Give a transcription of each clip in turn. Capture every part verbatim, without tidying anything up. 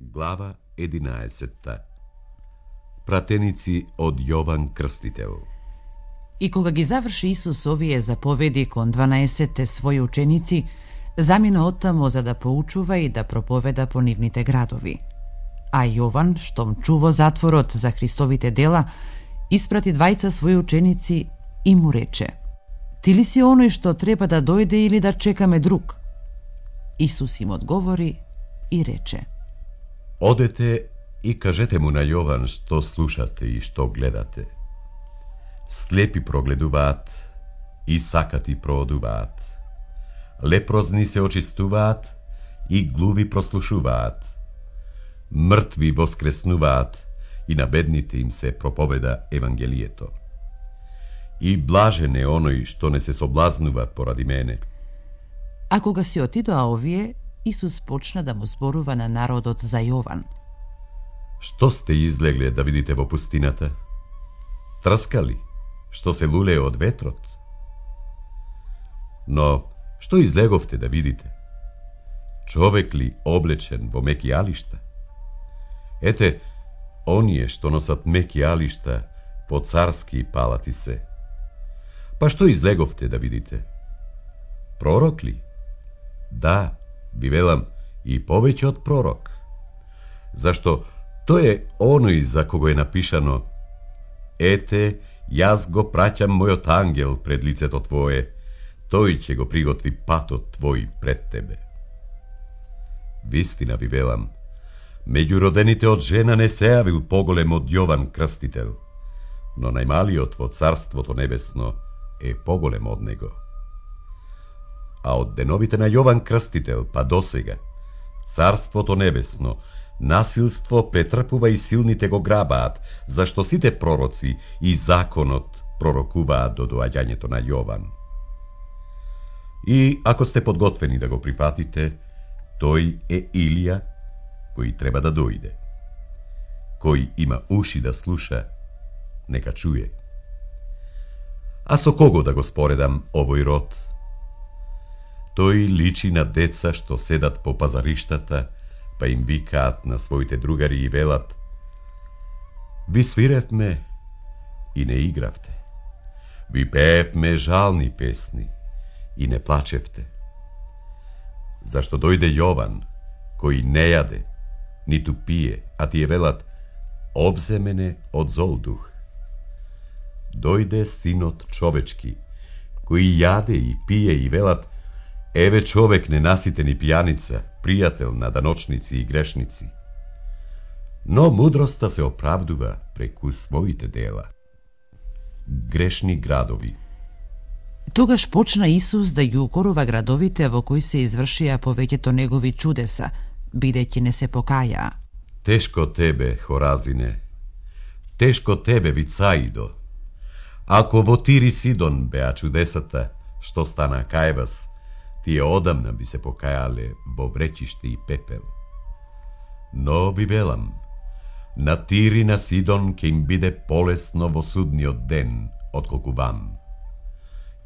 Глава единаесетта. Пратеници од Јован Крстител. И кога ги заврши Исус овие заповеди кон дванаесетте своји ученици, замина оттамо за да поучува и да проповеда по нивните градови. А Јован, штом чуво затворот за Христовите дела, испрати двајца своји ученици и му рече: Ти ли си оној што треба да дојде или да чекаме друг? Исус им одговори и рече: Одете и кажете му на Јован што слушате и што гледате. Слепи прогледуваат и сакати проодуваат. Лепрозни се очистуваат и глуви прослушуваат. Мртви воскреснуваат и на бедните им се проповеда Евангелието. И блажен е оној што не се соблазнува поради мене. А кога си отидоа овие, Исус почна да му зборува на народот за Јован. Што сте излегле да видите во пустината? Трскали, што се лулее од ветрот? Но, што излеговте да видите? Човек ли облечен во меки алишта? Ете, оние што носат меки алишта, по царски палати се. Па што излеговте да видите? Пророк ли? Да, ви велам, и повеќе од пророк. Зашто тој е оној за кого е напишано: Ете, јас го праќам мојот ангел пред лицето твое, тој ќе го приготви патот твој пред тебе. Вистина ви велам, меѓу родените од жена не се јавил поголем од Јован Крстител, но најмалиот во Царството Небесно е поголем од него. А од деновите на Јован Крстител па досега, Царството Небесно насилство претрпува и силните го грабаат, зашто сите пророци и законот пророкуваат до доаѓањето на Јован. И ако сте подготвени да го прифатите, тој е Илија, кој треба да дојде. Кој има уши да слуша, нека чуе. А со кого да го споредам овој род? Тој личи на деца што седат по пазариштата, па им викаат на своите другари и велат: Ви свиревме и не игравте. Ви пеевме жални песни и не плачевте. Зашто дојде Јован, кој не јаде, ниту пие, а тие велат: Обземене од зол дух. Дојде Синот човечки, кој јаде и пие и велат: Еве човек ненаситен и пијаница, пријател на даночници и грешници. Но мудроста се оправдува преку своите дела. Грешни градови. Тогаш почна Исус да ги укорува градовите во кои се извршија повеќето негови чудеса, бидејќи не се покајаа. Тешко тебе, Хоразине, тешко тебе, Вицаидо. Ако во Тир и Сидон беа чудесата што стана кај вас, тие одамна би се покајале во вречиште и пепел. Но ви велам, на Тир и на Сидон ќе им биде полесно во судниот ден, отколку вам.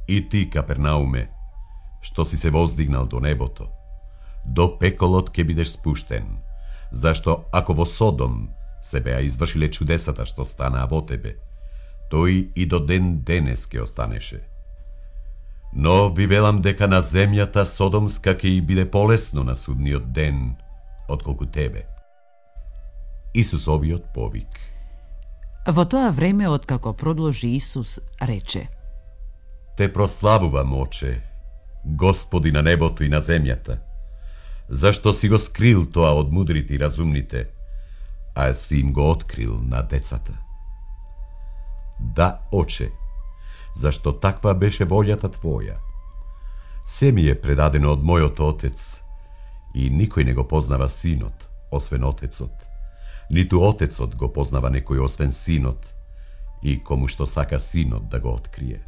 И ти, Капернауме, што си се воздигнал до небото, до пеколот ќе бидеш спуштен, зашто ако во Содом се беа извршиле чудесата што станаа во тебе, тој и до ден денес ќе останеше. Но ви велам дека на земјата Содомска ќе и биде полесно на судниот ден, отколку тебе. Исусовиот повик. Во тоа време, откако продолжи Исус, рече: Те прославувам, Оче, Господи на небото и на земјата, зашто си го скрил тоа од мудрите и разумните, а си им го открил на децата. Да, Оче, зашто таква беше волјата Твоја. Се ми е предадено од мојот Отец, и никој не го познава Синот, освен Отецот, ниту Отецот го познава некој освен Синот, и кому што сака Синот да го открие.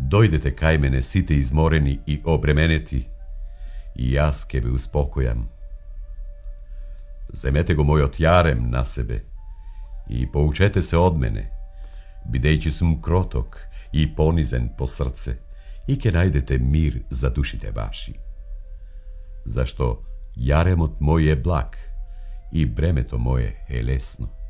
Дојдете кај мене сите изморени и обременети, и јас ке ве успокојам. Земете го мојот јарем на себе и поучете се од мене, бидејќи сум кроток и понизен по срце, и ќе најдете мир за душите ваши. Зашто Јаремот мој е благ и бремето мое е лесно.